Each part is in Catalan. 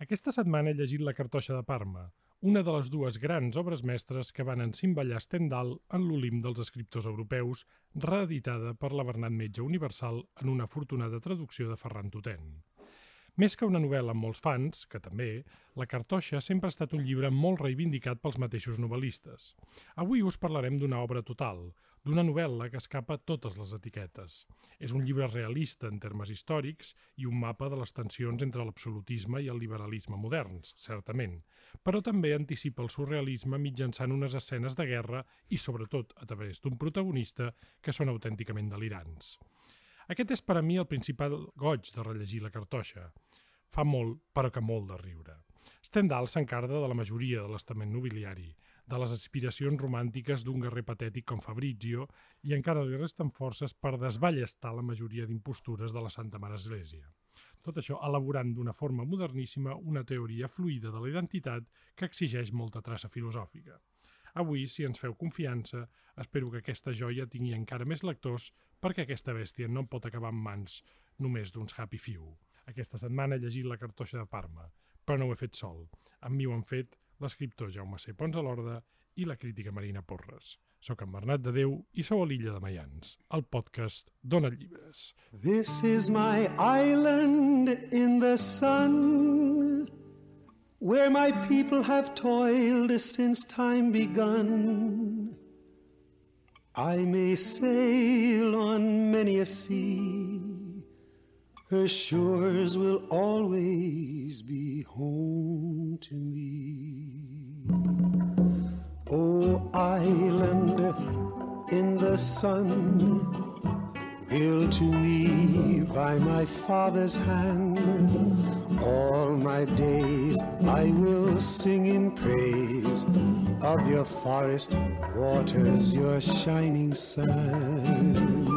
Aquesta setmana he llegit La cartoixa de Parma, una de les dues grans obres mestres que van encimbellar Stendhal en l'Olimp dels escriptors europeus, reeditada per la Bernat Metge Universal en una afortunada traducció de Ferran Tutén. Més que una novel·la amb molts fans, que també, La cartoixa sempre ha estat un llibre molt reivindicat pels mateixos novel·listes. Avui us parlarem d'una obra total, d'una novel·la que escapa totes les etiquetes. És un llibre realista en termes històrics i un mapa de les tensions entre l'absolutisme i el liberalisme moderns, certament, però també anticipa el surrealisme mitjançant unes escenes de guerra i, sobretot, a través d'un protagonista que són autènticament delirants. Aquest és per a mi el principal goig de rellegir La cartoixa. Fa molt, però que molt de riure. Stendhal s'encarda de la majoria de l'estament nobiliari, de les aspiracions romàntiques d'un guerrer patètic com Fabrizio, i encara li resten forces per desballestar la majoria d'impostures de la Santa Mare Església. Tot això elaborant d'una forma moderníssima una teoria fluida de la identitat que exigeix molta traça filosòfica. Avui, si ens feu confiança, espero que aquesta joia tingui encara més lectors perquè aquesta bèstia no pot acabar en mans només d'uns happy few. Aquesta setmana he llegit La cartoixa de Parma, però no ho he fet sol. Amb mi ho han fet l'escriptor Jaume C. Pons a l'Orde i la crítica Marina Porres. Soc en Bernat de Déu i sou a l'Illa de Maians, el podcast Dona Llibres. This is my island in the sun, where my people have toiled since time begun. I may sail on many a sea, her shores will always be home to me. Oh, island in the sun, built to me by my father's hand, all my days I will sing in praise of your forest waters, your shining sun.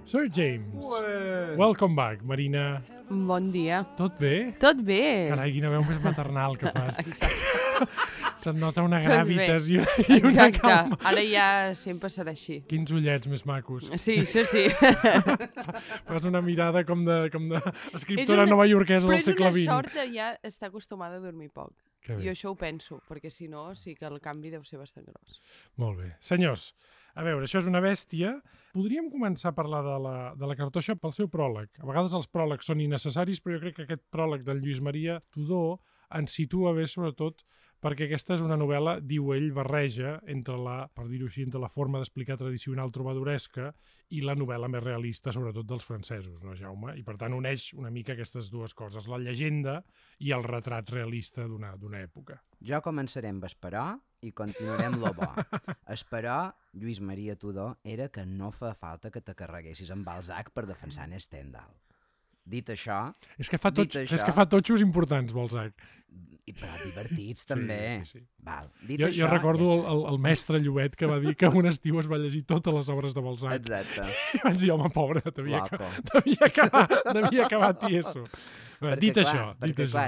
Sir James, welcome back, Marina. Bon dia. Tot bé? Tot bé. Carai, quina veu més maternal que fas. Exacte. Se't nota una Tot gràvitas bé. i una Exacte. calma. Ara ja sempre serà així. Quins ullets més macos. Sí, això sí. Fas una mirada com de escriptora novaiorquesa del segle Però és XX. una sort de ja estar acostumada a dormir poc. Que bé. Jo això ho penso, perquè si no, sí que el canvi deu ser bastant gros. Molt bé. Senyors, a veure, això és una bèstia. Podríem començar a parlar de la cartoixa pel seu pròleg. A vegades els pròlegs són innecessaris, però jo crec que aquest pròleg del Lluís Maria Tudó ens situa bé, sobretot, perquè aquesta és una novel·la, diu ell, barreja entre per dir-ho així, entre la forma d'explicar tradicional trobadoresca i la novel·la més realista, sobretot dels francesos, no, Jaume? I per tant uneix una mica aquestes dues coses, la llegenda i el retrat realista d'una època. Jo començaré amb Esperó i continuaré amb lo bo. Esperó, Lluís Maria Tudó, era que no fa falta que te carreguessis amb Balzac per defensar en Stendhal. Dit això... És que fa totxos importants, Balzac. Però divertits, també. Sí. Val. Jo recordo el mestre Llobet que va dir que un estiu es va llegir totes les obres de Balzac. Exacte. I vaig dir, home, pobre, devia acabar tieso. Dit això.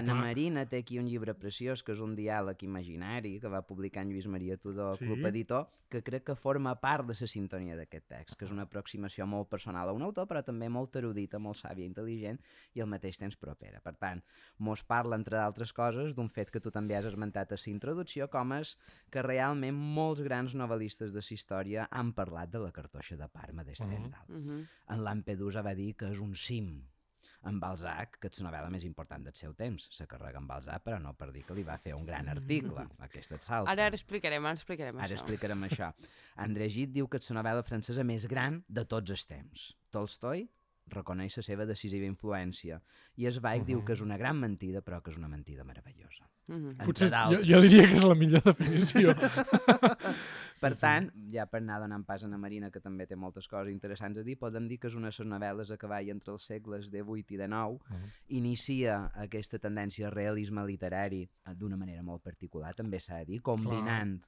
Na Marina té aquí un llibre preciós que és un diàleg imaginari que va publicar en Lluís Maria Tudó, sí. Club Editor, que crec que forma part de la sintonia d'aquest text, que és una aproximació molt personal a un autor, però també molt erudita, molt sàvia, intel·ligent i al mateix temps propera. Per tant, mos parla, entre d'altres coses, d'un fet que tu també has esmentat a la introducció, com és que realment molts grans novel·listes de la història han parlat de La cartoixa de Parma de Stendhal. En Lampedusa va dir que és un cim. En Balzac, que és la novel·la més important del seu temps. Se carrega en Balzac, però no per dir que li va fer un gran article. Aquesta et salta. Ara explicarem això. André Gide diu que és la novel·la francesa més gran de tots els temps. Tolstoi reconeix la seva decisiva influència. I Zweig diu que és una gran mentida, però que és una mentida meravellosa. Potser jo diria que és la millor definició. Per tant, ja per anar donant pas a la Marina, que també té moltes coses interessants a dir, podem dir que és una de les novel·les a cavall entre els segles XVIII i XIX, inicia aquesta tendència al realisme literari d'una manera molt particular, també s'ha de dir, combinant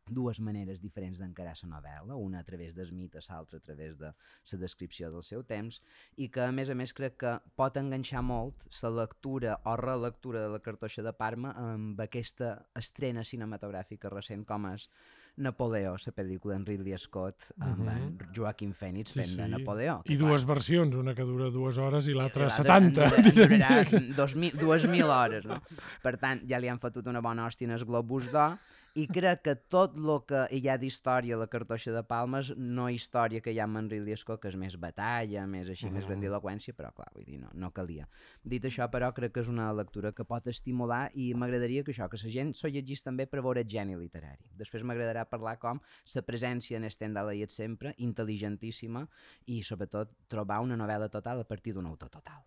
dues maneres diferents d'encarar la novel·la, una a través del mite, l'altra a través de la descripció del seu temps, i que a més crec que pot enganxar molt la lectura o relectura de La cartoixa de Parma amb aquesta estrena cinematogràfica recent com és Napoleó, la pel·lícula en Ridley Scott amb en Joaquin Phoenix fent de Napoleó. I dues versions, una que dura 2 hores i l'altra en 70. durarà 2.000 hores, no? Per tant, ja li han fotut una bona hòstia en el Globus d'Or, i crec que tot el que hi ha d'història a la Cartoixa de Palmes, no història que hi ha amb en Ridley Scott, que és més batalla, més així, més grandiloquència, però clar, vull dir, no calia. Dit això, però, crec que és una lectura que pot estimular i m'agradaria que la gent s'ho llegís també per veure geni literari. Després m'agradarà parlar com la presència en Stendhal hi és sempre, intel·ligentíssima, i sobretot trobar una novel·la total a partir d'un autor total.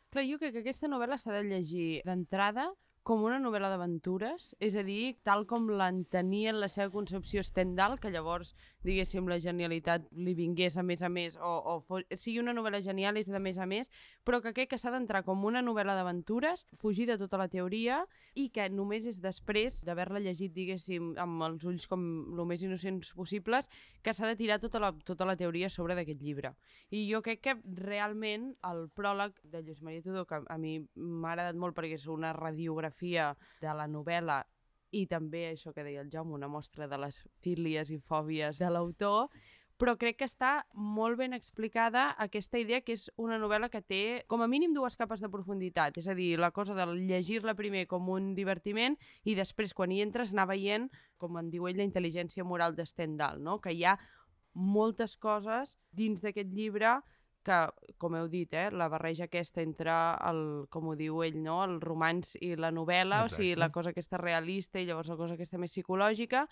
Clar, jo crec que aquesta novel·la s'ha de llegir d'entrada com una novel·la d'aventures, és a dir, tal com l'entenia en la seva concepció Stendhal, que llavors, diguéssim, la genialitat li vingués a més, o sigui una novel·la genial és de més a més, però que crec que s'ha d'entrar com una novel·la d'aventures, fugir de tota la teoria, i que només és després d'haver-la llegit, diguéssim, amb els ulls com el més innocents possibles, que s'ha de tirar tota la teoria sobre d'aquest llibre. I jo crec que realment el pròleg de Lluís Maria Tudó, que a mi m'ha agradat molt perquè és una radiografia de la novel·la i també això que deia el Jaume, una mostra de les fílies i fòbies de l'autor, però crec que està molt ben explicada aquesta idea que és una novel·la que té com a mínim 2 capes de profunditat, és a dir, la cosa de llegir-la primer com un divertiment i després quan hi entres anar veient, com en diu ell, la intel·ligència moral de Stendhal, no? Que hi ha moltes coses dins d'aquest llibre que, com heu dit, la barreja aquesta entre, com ho diu ell, no? El romanç i la novel·la, o sigui, la cosa aquesta realista i llavors la cosa aquesta més psicològica.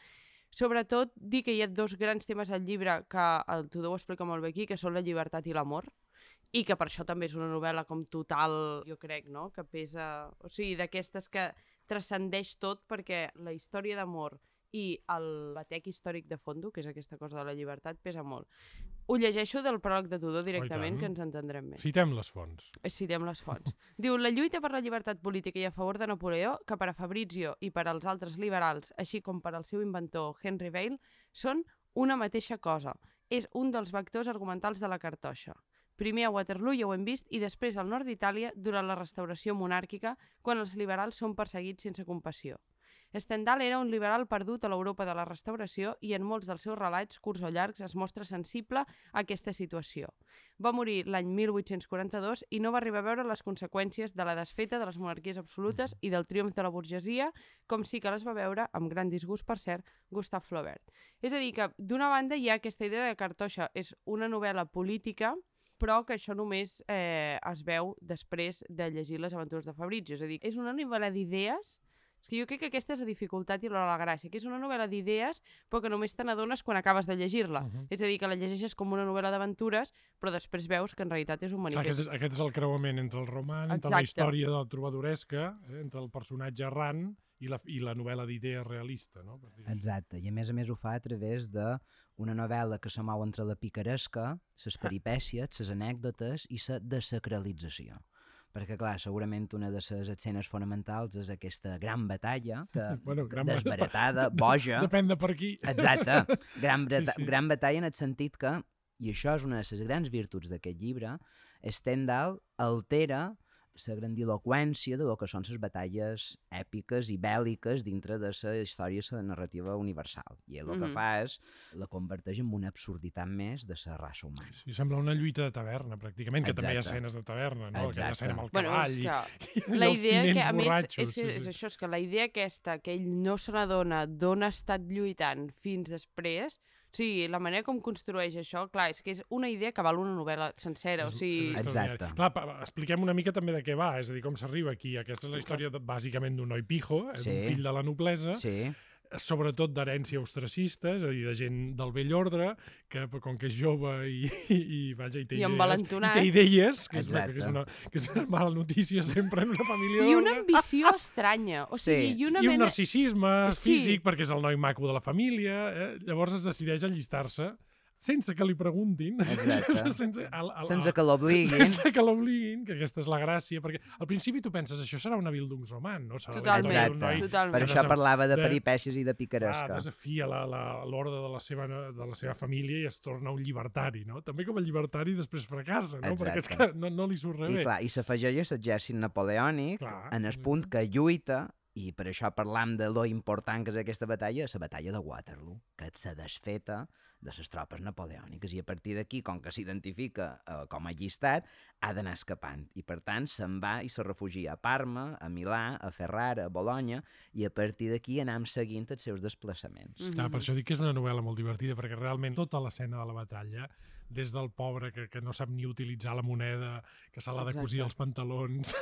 Sobretot, dir que hi ha 2 grans temes al llibre que el Tudó ho explica molt bé aquí, que són la llibertat i l'amor, i que per això també és una novel·la com total, jo crec, no? Que pesa... O sigui, d'aquestes que transcendeix tot perquè la història d'amor i el batec històric de fondo, que és aquesta cosa de la llibertat, pesa molt. Ho llegeixo del pròleg de Tudó directament, que ens entendrem més. Citem les fonts. Citem les fonts. Diu, la lluita per la llibertat política i a favor de Napoleó, que per a Fabrizio i per als altres liberals, així com per al seu inventor Henry Vail, són una mateixa cosa. És un dels vectors argumentals de la Cartoixa. Primer a Waterloo, ja ho hem vist, i després al nord d'Itàlia durant la restauració monàrquica, quan els liberals són perseguits sense compassió. Stendhal era un liberal perdut a l'Europa de la Restauració i en molts dels seus relats, curts o llargs, es mostra sensible a aquesta situació. Va morir l'any 1842 i no va arribar a veure les conseqüències de la desfeta de les monarquies absolutes i del triomf de la burgesia, com sí que les va veure, amb gran disgust per cert, Gustave Flaubert. És a dir, que d'una banda hi ha aquesta idea de Cartoixa és una novel·la política, però que això només es veu després de llegir les aventures de Fabrizio. És a dir, és una novel·la d'idees. És que jo crec que aquesta és la dificultat i la gràcia, que és una novel·la d'idees, però que només te n'adones quan acabes de llegir-la. És a dir, que la llegeixes com una novel·la d'aventures, però després veus que en realitat és un manifest. Aquest és el creuament entre el roman, entre la història de la trobadoresca, entre el personatge errant i la novel·la d'idees realista. No? Exacte, i a més ho fa a través d'una novel·la que se mou entre la picaresca, les peripècies, les anècdotes i la desacralització. Perquè, clar, segurament una de les escenes fonamentals és aquesta gran batalla, que desbaratada, boja... Depèn de per qui. Exacte. Gran batalla en el sentit que, i això és una de les grans virtuts d'aquest llibre, Stendhal altera la grandiloquència de lo que són les batalles èpiques i bèl·liques dintre de la història i la narrativa universal. I el que fa és la converteix en una absurditat més de la raça humana. Sí, sembla una lluita de taverna, pràcticament, que també hi ha escenes de taverna, no? Aquella escena amb el cavall i els tinents borratxos. És això, és que la idea aquesta, que ell no se n'adona d'on ha estat lluitant fins després... Sí, la manera com construeix això, clar, és que és una idea que val una novel·la sencera, o sigui... Exacte. Clar, expliquem una mica també de què va, és a dir, com s'arriba aquí. Aquesta és la història, bàsicament, d'un noi pijo, és un fill de la noblesa, sobretot d'herència ostracista, és a dir, de gent del vell ordre, que com que és jove i té idees, que és una mala notícia sempre en una família d'ordre. I una ambició estranya. O sigui, I un narcisisme físic, perquè és el noi maco de la família. Llavors es decideix allistar-se sense que li preguntin, sense que l'obliguin, que aquesta és la gràcia, perquè al principi tu penses, això serà una Bildungsroman, no? Totalment. Per això parlava de peripècies i de picaresca. Desafia l'ordre de la seva família i es torna un llibertari, no? També com a llibertari després fracassa, no? Perquè és que no li surt res bé. I s'afegeix l'exèrcit napoleònic en el punt que lluita I per això parlam de lo important que és aquesta batalla, la batalla de Waterloo, que és la desfeta de les tropes napoleòniques, i a partir d'aquí, com que s'identifica com a allistat, ha d'anar escapant. I per tant se'n va i se refugia a Parma, a Milà, a Ferrara, a Bologna, i a partir d'aquí anem seguint els seus desplaçaments. Clar, per això dic que és una novel·la molt divertida, perquè realment tota l'escena de la batalla, des del pobre que no sap ni utilitzar la moneda, que se l'ha de cosir els pantalons,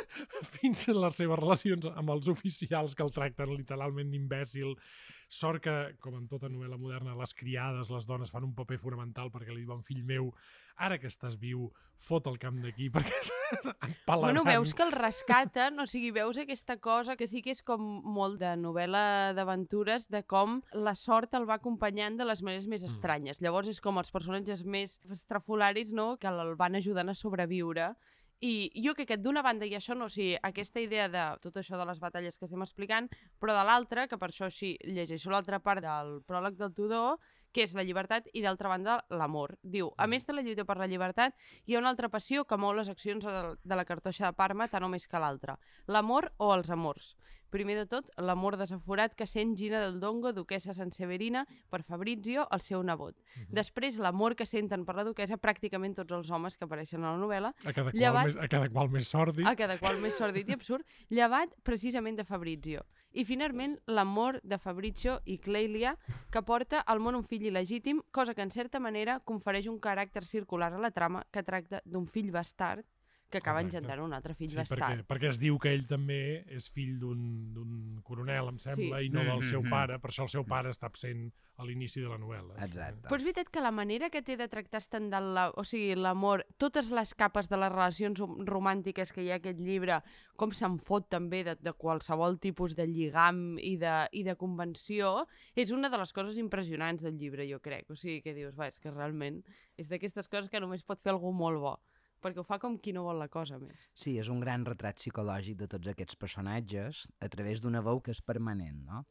fins a les seves relacions amb els oficials que el tracten literalment d'imbècil. Sort que, com en tota novel·la moderna, les criades, les dones, fan un paper fonamental perquè li diuen, fill meu, ara que estàs viu, fot el camp d'aquí, perquè empalaran. Bueno, veus que el rescaten, o sigui, veus aquesta cosa que sí que és com molt de novel·la d'aventures, de com la sort el va acompanyant de les maneres més estranyes. Llavors és com els personatges més estrafolaris, no?, que el van ajudant a sobreviure. I jo crec que d'una banda hi ha això, no, o sigui, aquesta idea de tot això de les batalles que estem explicant, però de l'altra, que per això sí, llegeixo l'altra part del pròleg del Tudor, que és la llibertat, i d'altra banda l'amor. Diu, a més de la lluita per la llibertat, hi ha una altra passió que mou les accions de la cartoixa de Parma tant o més que l'altra. L'amor o els amors. Primer de tot, l'amor desaforat que sent Gina del Dongo, duquessa Sanseverina, per Fabrizio, el seu nebot. Després, l'amor que senten per la duquessa pràcticament tots els homes que apareixen a la novel·la. A cada qual més sòrdid. A cada qual més sòrdid i absurd, llevat precisament de Fabrizio. I finalment, l'amor de Fabrizio i Clelia, que porta al món un fill il·legítim, cosa que en certa manera confereix un caràcter circular a la trama que tracta d'un fill bastard que acaba engendrant un altre fill bastard. Perquè es diu que ell també és fill d'un coronel, em sembla, i no del seu pare, per això el seu pare està absent a l'inici de la novel·la. Exacte. Però és veritat que la manera que té de tractar Stendhal, o sigui, l'amor, totes les capes de les relacions romàntiques que hi ha a aquest llibre, com se'n fot també de qualsevol tipus de lligam i de convenció, és una de les coses impressionants del llibre, jo crec. O sigui, que dius, és que realment és d'aquestes coses que només pot fer algú molt bo, perquè ho fa com qui no vol la cosa més. Sí, és un gran retrat psicològic de tots aquests personatges a través d'una veu que és permanent, no?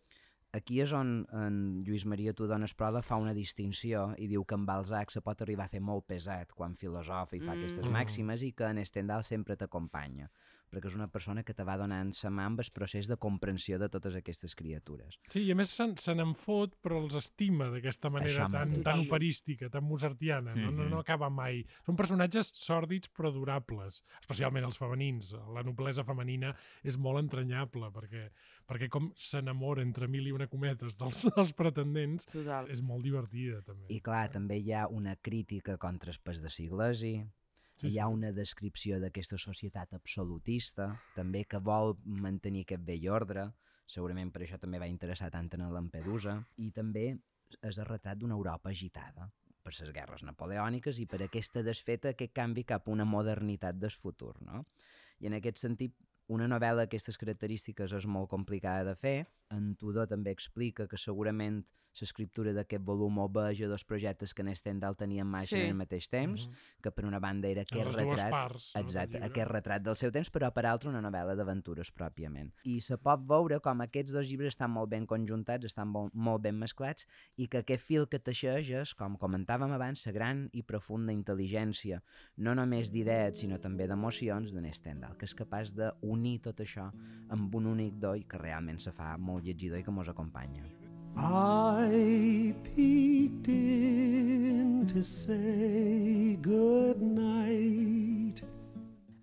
Aquí és on en Lluís Maria Tudó Esproda fa una distinció i diu que en Balzac se pot arribar a fer molt pesat quan filosofa i fa aquestes màximes i que en Stendhal sempre t'acompanya, perquè és una persona que te va donant sa mà amb el procés de comprensió de totes aquestes criatures. Sí, i a més se n'en fot, però els estima d'aquesta manera tan operística, tan mozartiana, no acaba mai. Són personatges sòrdids però durables, especialment els femenins. La noblesa femenina és molt entranyable, perquè com s'enamora entre mil i una cometes dels pretendents, és molt divertida també. I clar, també hi ha una crítica contra el pes de Iglesi. Hi ha una descripció d'aquesta societat absolutista, també que vol mantenir aquest vell ordre, segurament per això també va interessar tant en Lampedusa, i també és el retrat d'una Europa agitada per les guerres napoleòniques i per aquesta desfeta, aquest canvi cap a una modernitat del futur, no? I en aquest sentit, una novel·la d'aquestes característiques és molt complicada de fer. En Tudó també explica que segurament l'escriptura d'aquest volum obeja dos projectes que en Stendhal tenia en marxa al mateix temps, que per una banda era aquest retrat del seu temps, però per altra una novel·la d'aventures pròpiament. I se pot veure com aquests dos llibres estan molt ben conjuntats, estan molt ben mesclats, i que aquest fil que teixeix és, com comentàvem abans, la gran i profunda intel·ligència, no només d'idees, sinó també d'emocions d'en Stendhal, que és capaç d'unir tot això amb un únic do i que realment se fa molt llegidor i que mos acompanya. I peeked in to say good night.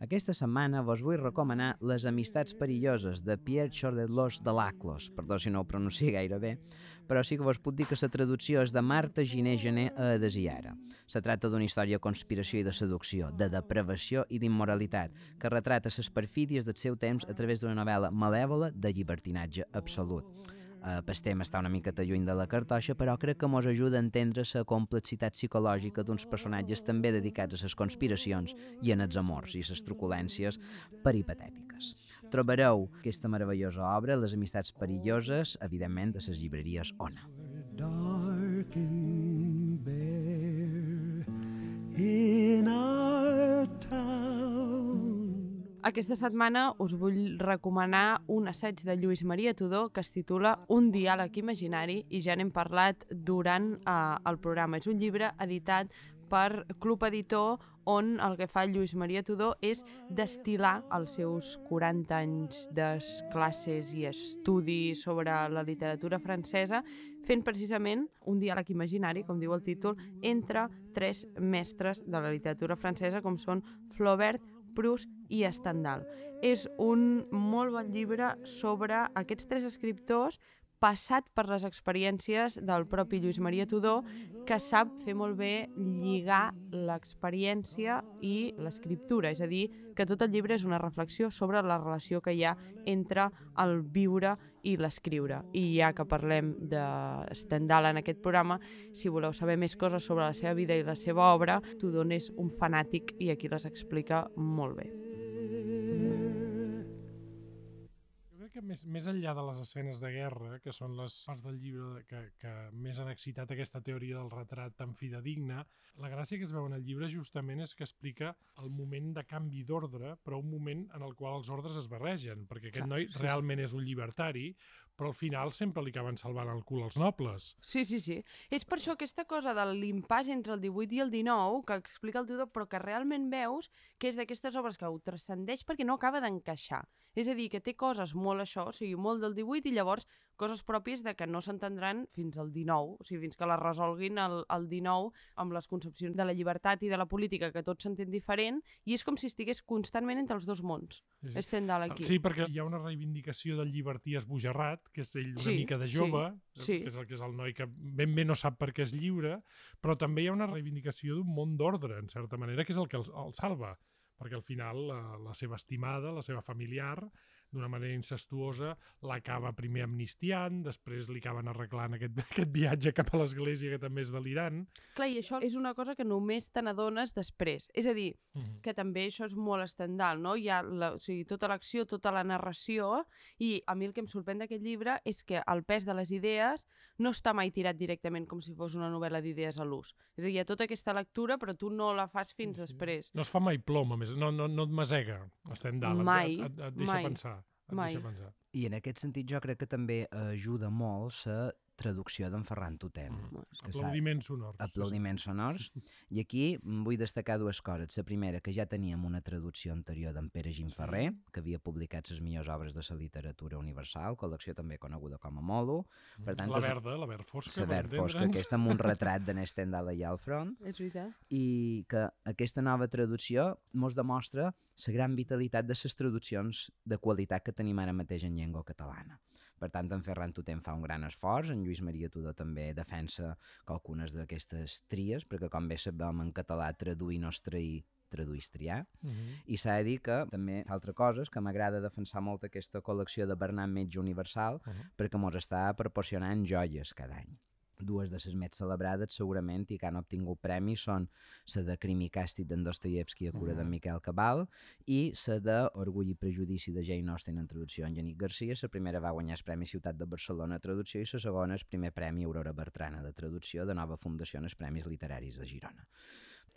Aquesta setmana vos vull recomanar Les amistats perilloses de Pierre Chourdelos de Laclos, perdó si no ho pronuncio gaire bé, però sí que vos puc dir que la traducció és de Marta Giné Gené a Adesiara. Se tracta d'una història de conspiració i de seducció, de depravació i d'immoralitat, que retrata les perfídies del seu temps a través d'una novel·la malèvola de llibertinatge absolut. El tema està una miqueta lluny de la cartoixa, però crec que mos ajuda a entendre la complexitat psicològica d'uns personatges també dedicats a les conspiracions i en els amors i les truculències peripatètiques. Trobareu aquesta meravellosa obra, Les amistats perilloses, evidentment, de les llibreries Ona. Dark and bare in our town. Aquesta setmana us vull recomanar un assaig de Lluís Maria Tudó que es titula Un diàleg imaginari i ja n'hem parlat durant el programa. És un llibre editat per Club Editor on el que fa Lluís Maria Tudó és destil·lar els seus 40 anys de classes i estudi sobre la literatura francesa, fent precisament un diàleg imaginari, com diu el títol, entre 3 mestres de la literatura francesa, com són Flaubert, Proust i Stendhal. És un molt bon llibre sobre aquests 3 escriptors passat per les experiències del propi Lluís Maria Tudó, que sap fer molt bé lligar l'experiència i l'escriptura. És a dir, que tot el llibre és una reflexió sobre la relació que hi ha entre el viure i l'escriure. I ja que parlem de Stendhal en aquest programa, si voleu saber més coses sobre la seva vida i la seva obra, Tudó n'és un fanàtic i aquí les explica molt bé. Que més enllà de les escenes de guerra, que són les parts del llibre que més han excitat aquesta teoria del retrat tan fidedigna, la gràcia que es veu en el llibre justament és que explica el moment de canvi d'ordre, però un moment en el qual els ordres es barregen, perquè aquest noi realment és un llibertari, però al final sempre li acaben salvant el cul als nobles. Sí. És per això aquesta cosa de l'impàs entre el 18 i el 19, que explica el Tudó, però que realment veus que és d'aquestes obres que ho transcendeix perquè no acaba d'encaixar. És a dir, que té coses molt això, o sigui, molt del 18 i llavors coses pròpies de que no s'entendran fins al 19, o sigui, fins que les resolguin el 19 amb les concepcions de la llibertat i de la política, que tot s'entén diferent, i és com si estigués constantment entre els dos mons. Sí. Stendhal aquí. Sí, perquè hi ha una reivindicació del llibertí esbojarrat, que és ell una mica de jove, que és el noi que ben bé no sap per què és lliure, però també hi ha una reivindicació d'un món d'ordre, en certa manera, que és el que el salva, perquè al final la seva estimada, la seva familiar, d'una manera incestuosa, l'acaba primer amnistiant, després li acaben arreglant aquest viatge cap a l'església, que també és delirant. Clar, i això és una cosa que només te n'adones després. És a dir, que també això és molt Stendhal, no? Hi ha tota l'acció, tota la narració, i a mi el que em sorprèn d'aquest llibre és que el pes de les idees no està mai tirat directament com si fos una novel·la d'idees a l'ús. És a dir, hi ha tota aquesta lectura, però tu no la fas fins després. No es fa mai plom, a més, no et masega, Stendhal, et deixa pensar. Mai. I en aquest sentit jo crec que també ajuda molt la traducció d'en Ferran Tutén. Aplaudiments sonors. Aplaudiments sonors. I aquí vull destacar 2 coses. La primera, que ja teníem una traducció anterior d'en Pere Gimferrer, que havia publicat les millors obres de la literatura universal, col·lecció també coneguda com a Molo. Per tant, la verd fosca. La verd fosca, aquesta amb un retrat de Stendhal allà al front. És veritat. I que aquesta nova traducció mos demostra la gran vitalitat de les traduccions de qualitat que tenim ara mateix en llengua catalana. Per tant, en Ferran Tutén fa un gran esforç, en Lluís Maria Tudó també defensa algunes d'aquestes tries, perquè com bé sabem en català traduir no és trair, traduir és triar. I s'ha de dir que també altra cosa és que m'agrada defensar molt aquesta col·lecció de Bernat Metge Universal perquè mos està proporcionant joies cada any. 2 de les més celebrades segurament i que han obtingut premis són la de Crim i Càstig d'en Dostoievski a cura d'en Miquel Cabal i la de Orgull i Prejudici de Jane Austen en traducció en Jannik Garcia. La primera va guanyar el Premi Ciutat de Barcelona a traducció i la segona el primer Premi Aurora Bertrana de traducció de Nova Fundació en els Premis Literaris de Girona.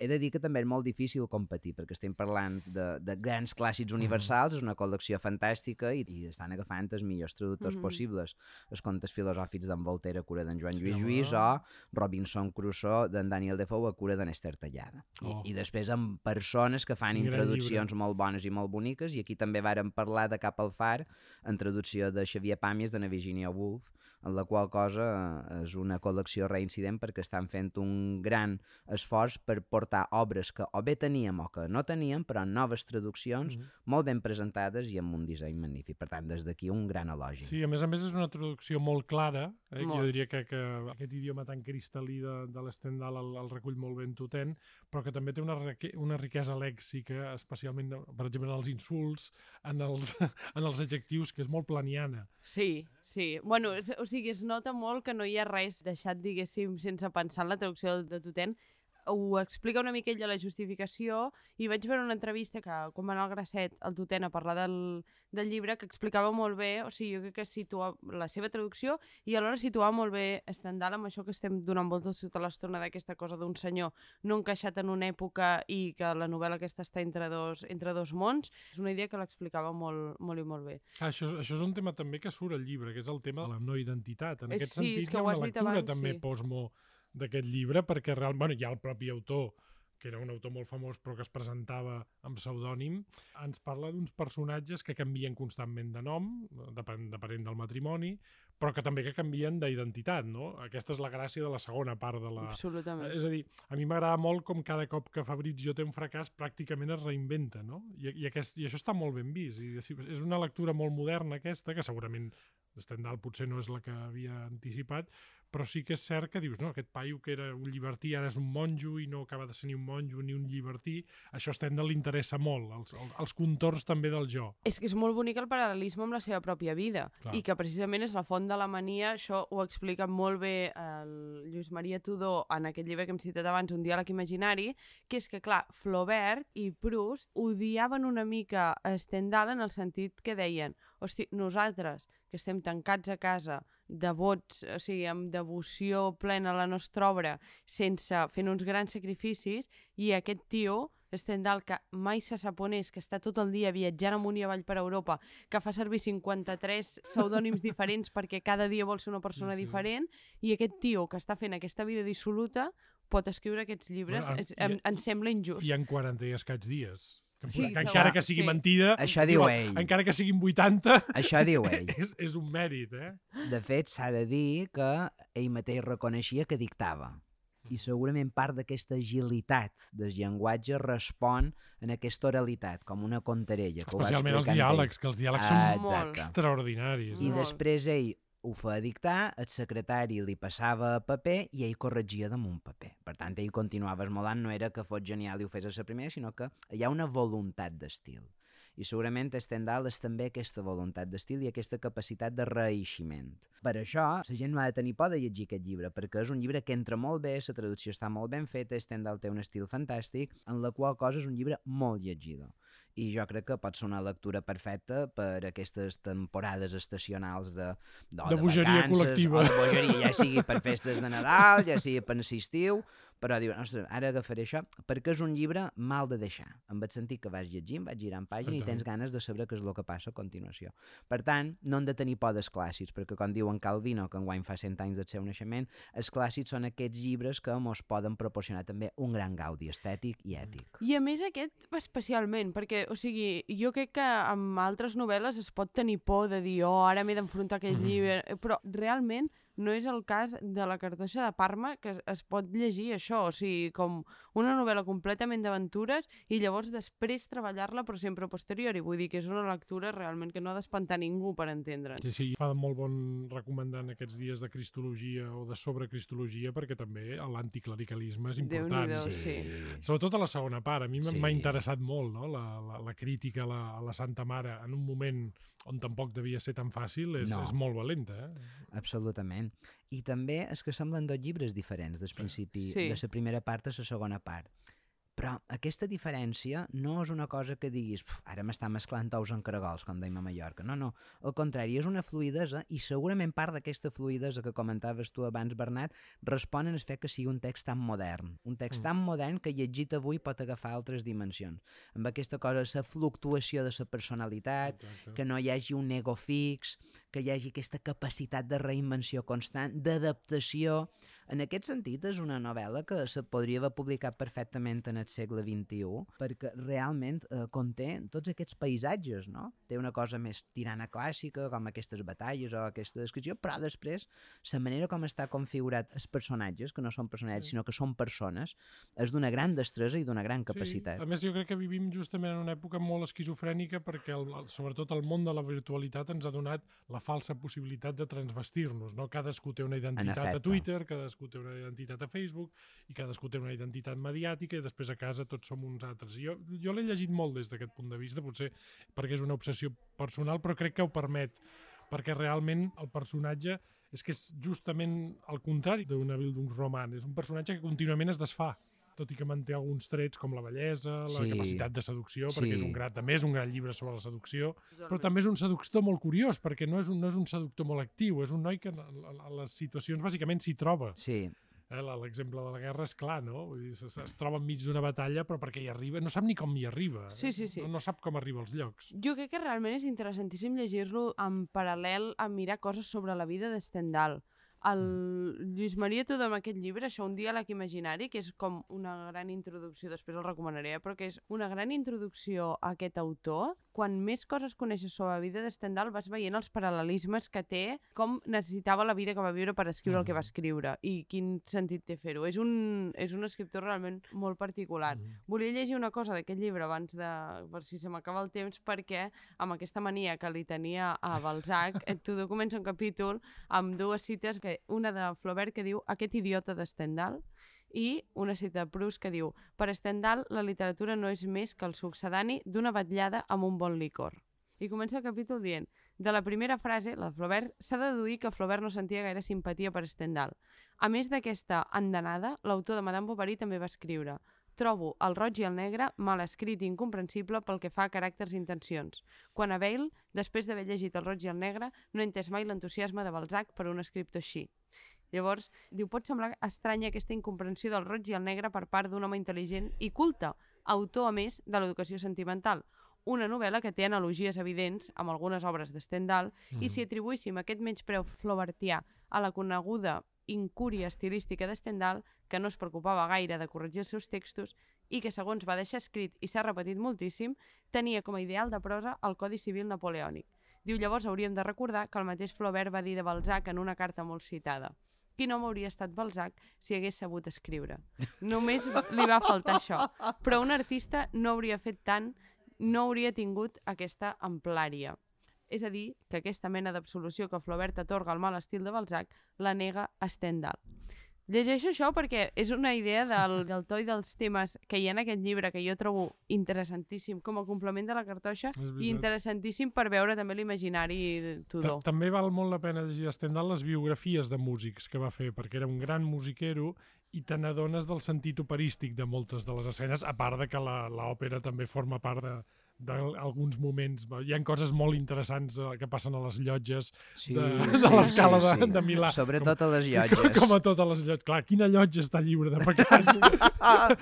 He de dir que també és molt difícil competir, perquè estem parlant de grans clàssics universals, és una col·lecció fantàstica i estan agafant els millors traductors possibles. Els contes filosòfics d'en Voltaire a cura d'en Joan Lluís Lluís o Robinson Crusoe d'en Daniel Defoe a cura d'en Esther Tallada. I després amb persones que fan introduccions molt bones i molt boniques, i aquí també vàrem parlar de Cap al far, en traducció de Xavier Pàmies de Virginia Woolf, en la qual cosa és una col·lecció reincident perquè estan fent un gran esforç per portar obres que o bé teníem o que no teníem, però en noves traduccions molt ben presentades i amb un disseny magnífic. Per tant, des d'aquí un gran elogi. Sí, a més és una traducció molt clara. Jo diria que aquest idioma tan cristal·lí de l'Stendhal el recull molt ben Tutén, però que també té una riquesa lèxica, especialment, per exemple, en els insults, en els adjectius, que és molt planiana. Sí. Bueno, o sigui, es nota molt que no hi ha res deixat, diguéssim, sense pensar en la traducció de Tutén. Ho explica una mica ell a la justificació i vaig veure una entrevista que, quan va anar al Grasset, el Tutén, a parlar del llibre, que explicava molt bé, o sigui, jo crec que situa la seva traducció i alhora situava molt bé Stendhal amb això que estem donant voltes tota l'estona d'aquesta cosa d'un senyor no encaixat en una època i que la novel·la aquesta està entre dos mons. És una idea que l'explicava molt i molt bé. Això és un tema també que surt al llibre, que és el tema de la no identitat. En aquest sentit, hi ha una lectura també posmo d'aquest llibre, perquè realment hi ha el propi autor que era un autor molt famós però que es presentava amb pseudònim, ens parla d'uns personatges que canvien constantment de nom, depenent del matrimoni, però que també que canvien d'identitat, no? Aquesta és la gràcia de la segona part de la... Absolutament. És a dir, a mi m'agrada molt com cada cop que Fabrizio té un fracàs pràcticament es reinventa, no? I això està molt ben vist. I és una lectura molt moderna aquesta, que segurament Stendhal potser no és la que havia anticipat, però sí que és cert que dius, no, aquest paio que era un llibertí ara és un monjo i no acaba de ser ni un monjo ni un llibertí. Això a Stendhal li interessa molt, els contorns també del jo. És que és molt bonic el paral·lelisme amb la seva pròpia vida. Clar. I que precisament és la font de la mania. Això ho explica molt bé el Lluís Maria Tudor en aquest llibre que hem citat abans, Un diàleg imaginari, que és que, clar, Flaubert i Proust odiaven una mica a Stendhal en el sentit que deien, hosti, nosaltres que estem tancats a casa, devots, o sigui, amb devoció plena a la nostra obra, fent uns grans sacrificis, i aquest tio, Stendhal, que mai se sap on és, que està tot el dia viatjant amunt i avall per Europa, que fa servir 53 pseudònims diferents perquè cada dia vol ser una persona diferent, i aquest tio que està fent aquesta vida dissoluta pot escriure aquests llibres. Em sembla injust. I en 40 i escaig dies. Sí, que encara que sigui mentida, això diu ell. Encara que siguin 80, això diu ell. és un mèrit, eh? De fet, s'ha de dir que ell mateix reconeixia que dictava. I segurament part d'aquesta agilitat del llenguatge respon en aquesta oralitat, com una contarella. Especialment els diàlegs, que els diàlegs són molt extraordinaris. I després ell ho feia dictar, el secretari li passava paper i ell corregia damunt paper. Per tant, ell continuava esmolant, no era que fos genial i ho fes a la primera, sinó que hi ha una voluntat d'estil. I segurament a Stendhal és també aquesta voluntat d'estil i aquesta capacitat de reeiximent. Per això, la gent no ha de tenir por de llegir aquest llibre, perquè és un llibre que entra molt bé, la traducció està molt ben feta, Stendhal té un estil fantàstic, en la qual cosa és un llibre molt llegidor. I jo crec que pot ser una lectura perfecta per aquestes temporades estacionals de bogeria col·lectiva. O de bogeria, ja sigui per festes de Nadal, ja sigui per l'estiu, però diu, ostres, ara agafaré això, perquè és un llibre mal de deixar, en el sentit que vas llegint, vas girant pàgina i tens ganes de saber què és el que passa a continuació. Per tant, no hem de tenir por dels clàssics, perquè com diu en Calvino, que enguany fa 100 anys del seu naixement, els clàssics són aquests llibres que ens poden proporcionar també un gran gaudi estètic i ètic. I a més aquest especialment, perquè, o sigui, jo crec que amb altres novel·les es pot tenir por de dir, ara m'he d'enfrontar a aquest llibre, però realment no és el cas de La cartoixa de Parma, que es pot llegir això, o sigui, com una novel·la completament d'aventures i llavors després treballar-la, però sempre a posteriori. Vull dir que és una lectura realment que no ha d'espantar ningú per entendre'n. Sí, fa molt bon recomandar en aquests dies de cristologia o de sobrecristologia, perquè també l'anticlericalisme és important. Sí. Sobretot a la segona part. A mi m'ha interessat molt, no? La crítica a la Santa Mare en un moment on tampoc devia ser tan fàcil, és molt valenta. Absolutament. I també és que semblen dos llibres diferents del principi, de la primera part a la segona part. Però aquesta diferència no és una cosa que diguis ara m'està mesclant tous en caragols, com deim a Mallorca. No. Al contrari, és una fluïdesa i segurament part d'aquesta fluïdesa que comentaves tu abans, Bernat, respon en el fet que sigui un text tan modern. Un text tan modern que llegit avui pot agafar altres dimensions. Amb aquesta cosa, la fluctuació de la personalitat, que no hi hagi un ego fix, que hi hagi aquesta capacitat de reinvenció constant, d'adaptació. En aquest sentit, és una novel·la que se podria haver publicat perfectament en el segle XXI, perquè realment conté tots aquests paisatges, no? Té una cosa més tirana clàssica, com aquestes batalles o aquesta descripció, però després, la manera com està configurat els personatges, que no són personatges, sinó que són persones, és d'una gran destresa i d'una gran capacitat. Sí. A més, jo crec que vivim justament en una època molt esquizofrènica perquè, sobretot, el món de la virtualitat ens ha donat la falsa possibilitat de transvestir-nos, no? Cadascú té una identitat a Twitter, cadascú té una identitat a Facebook i cadascú té una identitat mediàtica i després a casa tots som uns altres. Jo l'he llegit molt des d'aquest punt de vista, potser perquè és una obsessió personal, però crec que ho permet, perquè realment el personatge és que és justament el contrari d'una Bildungsroman, és un personatge que contínuament es desfà, tot i que manté alguns trets com la bellesa, la capacitat de seducció, perquè també és un gran llibre sobre la seducció, però també és un seductor molt curiós, perquè no és un seductor molt actiu, és un noi que a les situacions bàsicament s'hi troba. Sí. L'exemple de la guerra és clar, no? Vull dir, es troba enmig d'una batalla, però perquè hi arriba, no sap ni com hi arriba. Sí. No sap com arriba als llocs. Jo crec que realment és interessantíssim llegir-lo en paral·lel a mirar coses sobre la vida de Stendhal, El Lluís Maria Tudor amb aquest llibre, això, Un diàleg imaginari, que és com una gran introducció, després el recomanaré, però que és una gran introducció a aquest autor. Quan més coses coneixes sobre la vida de Stendhal vas veient els paral·lelismes que té, com necessitava la vida que va viure per escriure el que va escriure i quin sentit té fer-ho. És un escriptor realment molt particular. Volia llegir una cosa d'aquest llibre abans de... per si se m'acaba el temps, perquè amb aquesta mania que li tenia a Balzac, Tudor comença un capítol amb dues cites, una de Flaubert que diu "aquest idiota de Stendhal", i una cita de Proust que diu "per Stendhal la literatura no és més que el succedani d'una vetllada amb un bon licor". I comença el capítol dient: de la primera frase, la de Flaubert, s'ha de deduir que Flaubert no sentia gaire simpatia per Stendhal. A més d'aquesta andanada, l'autor de Madame Bovary també va escriure: trobo el roig i el negre mal escrit i incomprensible pel que fa a caràcters i intencions. Quan a Bale, després d'haver llegit el roig i el negre, no he entès mai l'entusiasme de Balzac per un escriptor així. Llavors, diu, pot semblar estranya aquesta incomprensió del roig i el negre per part d'un home intel·ligent i culte, autor, a més, de l'educació sentimental. Una novel·la que té analogies evidents amb algunes obres de Stendhal i si atribuíssim aquest menyspreu flaubertià a la coneguda incúria estilística de Stendhal, que no es preocupava gaire de corregir els seus textos i que, segons va deixar escrit i s'ha repetit moltíssim, tenia com a ideal de prosa el Codi Civil napoleònic. Diu, llavors hauríem de recordar que el mateix Flaubert va dir de Balzac en una carta molt citada: quin home hauria estat Balzac si hagués sabut escriure? Només li va faltar això. Però un artista no hauria fet tant, no hauria tingut aquesta amplària. És a dir, que aquesta mena d'absolució que Flaubert atorga al mal estil de Balzac la nega a Stendhal. Llegeixo això perquè és una idea del to i dels temes que hi ha en aquest llibre que jo trobo interessantíssim com a complement de la cartoixa i interessantíssim per veure també l'imaginari Tudor. També val molt la pena llegir de Stendhal les biografies de músics que va fer, perquè era un gran musiquero i te n'adones del sentit operístic de moltes de les escenes, a part de que l'òpera també forma part d'alguns moments. Hi ha coses molt interessants que passen a les llotges de l'escala de Milà. Sobretot a les llotges. Com a totes les llotges. Clar, quina llotja està lliure de pecats?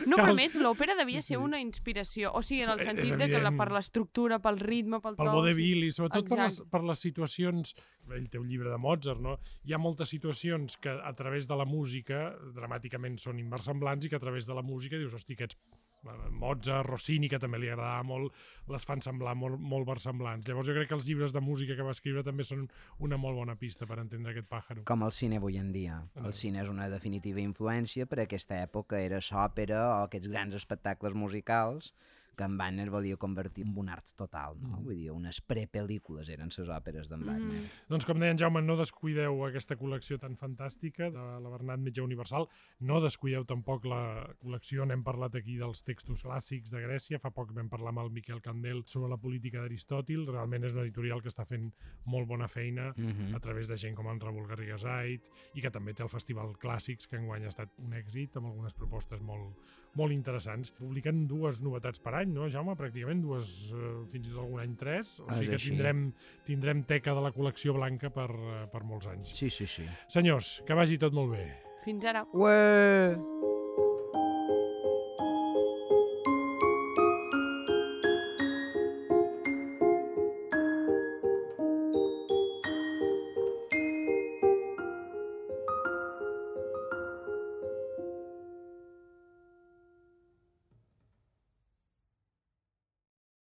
No, però més, l'òpera devia ser una inspiració. O sigui, en el sentit de que per l'estructura, pel ritme, pel to... Pel vodevil i sobretot per les situacions... Ell té un llibre de Mozart, no? Hi ha moltes situacions que a través de la música dramàticament són inversemblants i que a través de la música dius, hosti, aquests Mozart, Rossini, que també li agradava molt, les fan semblar molt versemblants. Llavors jo crec que els llibres de música que va escriure també són una molt bona pista per entendre aquest pàjaro. Com el cine avui en dia. El cine és una definitiva influència per aquesta època, era l'òpera o aquests grans espectacles musicals que en Wagner volia convertir en un art total, no? Vull dir, unes prepel·lícules eren les òperes d'en Wagner. Doncs com deia en Jaume, no descuideu aquesta col·lecció tan fantàstica de la Bernat Metge Universal, no descuideu tampoc la col·lecció, n'hem parlat aquí dels textos clàssics de Grècia, fa poc vam parlar amb el Miquel Candel sobre la política d'Aristòtil, realment és una editorial que està fent molt bona feina a través de gent com en Raül Garriga Zait i que també té el Festival Clàssics, que enguany ha estat un èxit, amb algunes propostes molt interessants. Publiquen 2 novetats per any, no, Jaume? Pràcticament 2, fins i tot algun any 3, o sigui que tindrem teca de la col·lecció blanca per molts anys. Sí. Senyors, que vagi tot molt bé. Fins ara. Ué!